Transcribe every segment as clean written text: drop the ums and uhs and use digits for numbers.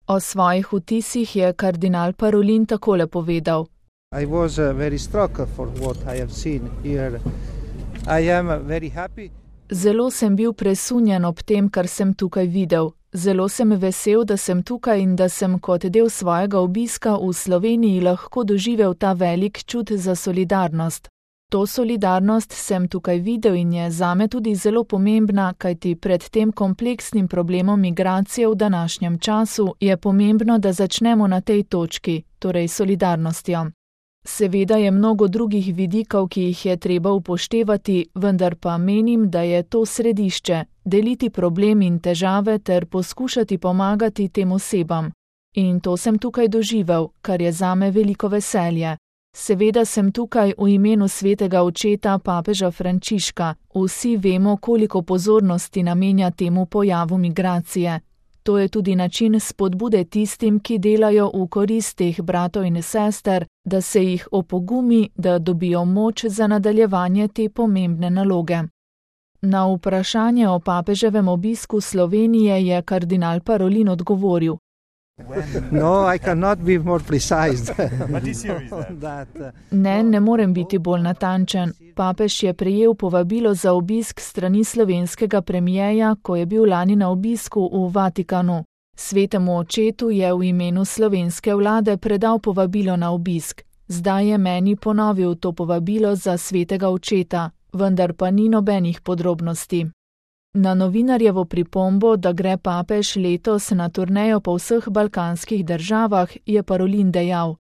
O svojih vtisih je kardinal Parolin takole povedal. I was very struck for what I have seen here. I am very happy. Zelo sem bil presunjen ob tem, kar sem tukaj videl. Zelo sem vesel, da sem tukaj in da sem kot del svojega obiska v Sloveniji lahko doživel ta velik čut za solidarnost. To solidarnost sem tukaj videl in je zame tudi zelo pomembna, kajti pred tem kompleksnim problemom migracije v današnjem času je pomembno, da začnemo na tej točki, torej solidarnostjo. Seveda je mnogo drugih vidikov, ki jih je treba upoštevati, vendar pa menim, da je to središče, deliti problem in težave ter poskušati pomagati tem osebam. In to sem tukaj doživel, kar je zame veliko veselje. Seveda sem tukaj v imenu svetega očeta papeža Frančiška. Vsi vemo, koliko pozornosti namenja temu pojavu migracije. To je tudi način spodbude tistim, ki delajo v korist teh bratov in sester, da se jih opogumi, da dobijo moč za nadaljevanje te pomembne naloge. Na vprašanje o papeževem obisku Slovenije je kardinal Parolin odgovoril. No, I cannot be more precise. Ne morem biti bolj natančen. Papež je prejel povabilo za obisk strani slovenskega premijeja, ko je bil lani na obisku v Vatikanu. Svetemu očetu je v imenu slovenske vlade predal povabilo na obisk. Zdaj je meni ponovil to povabilo za svetega očeta, vendar pa ni nobenih podrobnosti. Na novinarjevo pripombo, da gre papež letos na turnejo po vseh balkanskih državah, je Parolin dejal.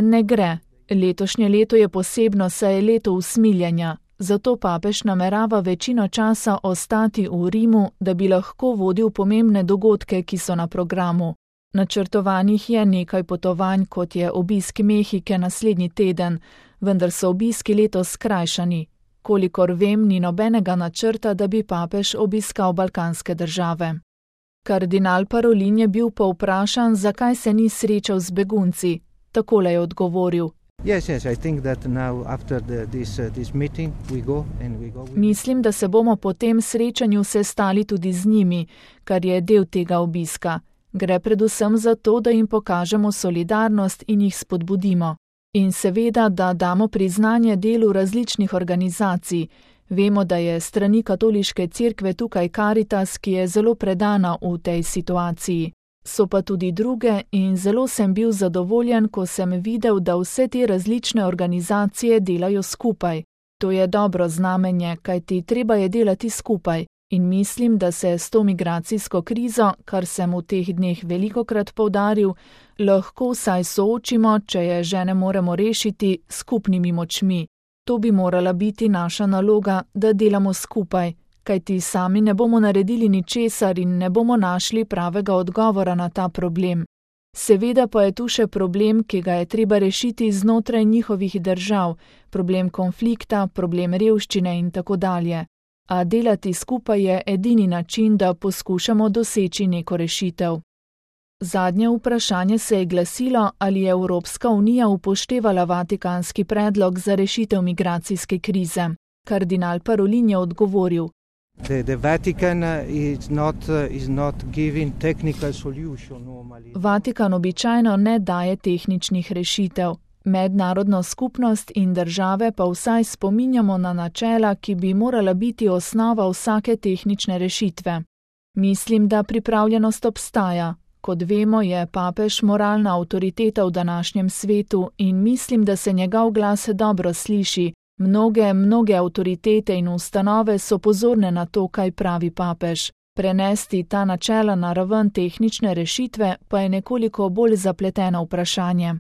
Ne gre. Letošnje leto je posebno, saj je leto usmiljenja. Zato papež namerava večino časa ostati v Rimu, da bi lahko vodil pomembne dogodke, ki so na programu. Načrtovanih je nekaj potovanj, kot je obisk Mehike naslednji teden, vendar so obiski letos skrajšani. Kolikor vem, ni nobenega načrta, da bi papež obiskal balkanske države. Kardinal Parolin je bil pa vprašan, zakaj se ni srečal z begunci. Takole je odgovoril. Mislim, da se bomo po tem srečanju sestali tudi z njimi, kar je del tega obiska. Gre predvsem za to, da jim pokažemo solidarnost in jih spodbudimo. In seveda, da damo priznanje delu različnih organizacij. Vemo, da je strani katoliške cerkve tukaj Karitas, ki je zelo predana v tej situaciji. So pa tudi druge in zelo sem bil zadovoljen, ko sem videl, da vse te različne organizacije delajo skupaj. To je dobro znamenje, kajti treba je delati skupaj. In mislim, da se s to migracijsko krizo, kar sem v teh dneh velikokrat poudaril, lahko vsaj soočimo, če je že ne moremo rešiti, skupnimi močmi. To bi morala biti naša naloga, da delamo skupaj, kajti sami ne bomo naredili ničesar in ne bomo našli pravega odgovora na ta problem. Seveda pa je tu še problem, ki ga je treba rešiti znotraj njihovih držav, problem konflikta, problem revščine in tako dalje. A delati skupaj je edini način, da poskušamo doseči neko rešitev. Zadnje vprašanje se je glasilo, ali je Evropska unija upoštevala vatikanski predlog za rešitev migracijske krize. Kardinal Parolin je odgovoril. Vatikan običajno ne daje tehničnih rešitev. Mednarodno skupnost in države pa vsaj spominjamo na načela, ki bi morala biti osnova vsake tehnične rešitve. Mislim, da pripravljenost obstaja. Kot vemo, je papež moralna avtoriteta v današnjem svetu in mislim, da se njegov glas dobro sliši. Mnoge avtoritete in ustanove so pozorne na to, kaj pravi papež. Prenesti ta načela na raven tehnične rešitve pa je nekoliko bolj zapleteno vprašanje.